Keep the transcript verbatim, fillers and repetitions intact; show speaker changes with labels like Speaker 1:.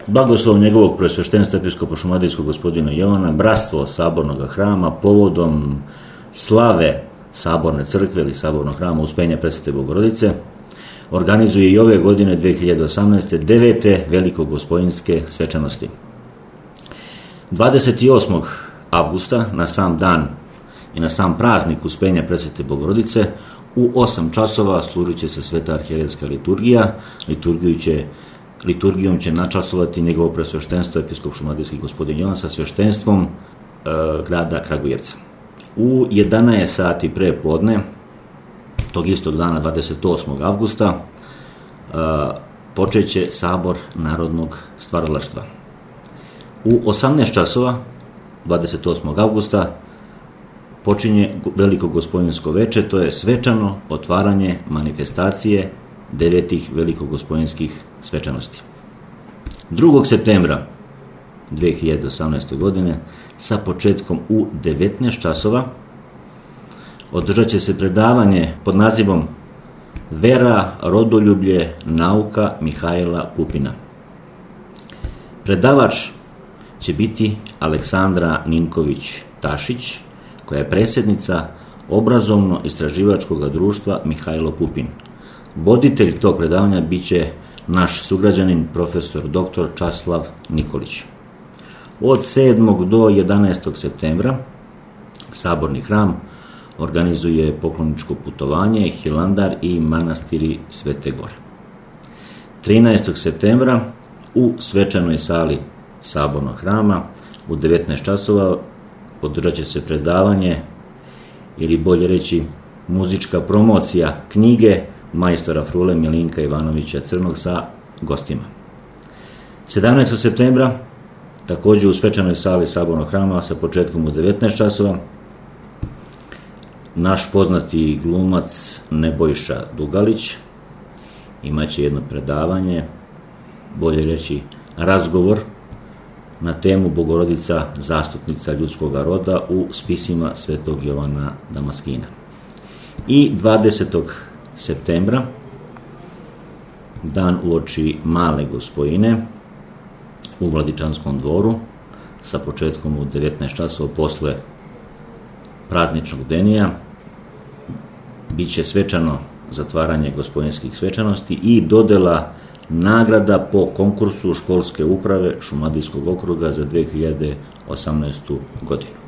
Speaker 1: blagoslov njegovog presveštenstva episkopa šumadijskog gospodina Jovana, bratstvo sabornog hrama povodom slave saborne crkve ili sabornog hrama Uspenja Presvete Bogorodice organizuje i ove godine dve hiljade osamnaeste. devete velikogospojinske svečanosti. dvadeset osmog avgusta na sam dan i na sam praznik Uspenja Presvete Bogorodice u osam časova služit će se sveta arhijerejska liturgija. Liturgiju će, liturgijom će načasovati njegovo presveštenstvo episkop šumadijski gospodin Jovan sa sveštenstvom e, grada Kragujevca. U jedanaest sati pre podne tog istog dana dvadeset osmog avgusta e, počeće sabor narodnog stvaralaštva. U osamnaest časova dvadeset osmog avgusta počinje veliko gospojinsko veče, to je svečano otvaranje manifestacije devetih velikogospojinskih svečanosti. drugog septembra dve hiljade osamnaeste. godine sa početkom u devetnaest časova održat će se predavanje pod nazivom Vera, rodoljublje, nauka Mihajla Pupina. Predavač će biti Aleksandra Ninković-Tašić, koja je predsjednica obrazovno-istraživačkog društva Mihajlo Pupin. Voditelj tog predavanja bit će naš sugrađanin profesor doktor Časlav Nikolić. Od sedmog do jedanaestog septembra saborni hram organizuje pokloničko putovanje, Hilandar i manastiri Svete Gore. trinaestog septembra u svečanoj sali sabornog hrama u devetnaest časova održat će se predavanje, ili bolje reći muzička promocija knjige majstora Frule Milinka Ivanovića Crnog sa gostima. sedamnaestog septembra također u svečanoj sali sabornog hrama sa početkom u devetnaest časova naš poznati glumac Nebojša Dugalić imaće jedno predavanje, bolje reći razgovor na temu Bogorodica zastupnica ljudskog roda u spisima svetog Jovana Damaskina. I dvadesetog septembra, dan uoči Male Gospojine u Vladičanskom dvoru sa početkom u devetnaest časova posle prazničnog denija, bit će svečano zatvaranje gospojinskih svečanosti i dodela nagrada po konkursu školske uprave Šumadijskog okruga za dve hiljade osamnaestu. godinu.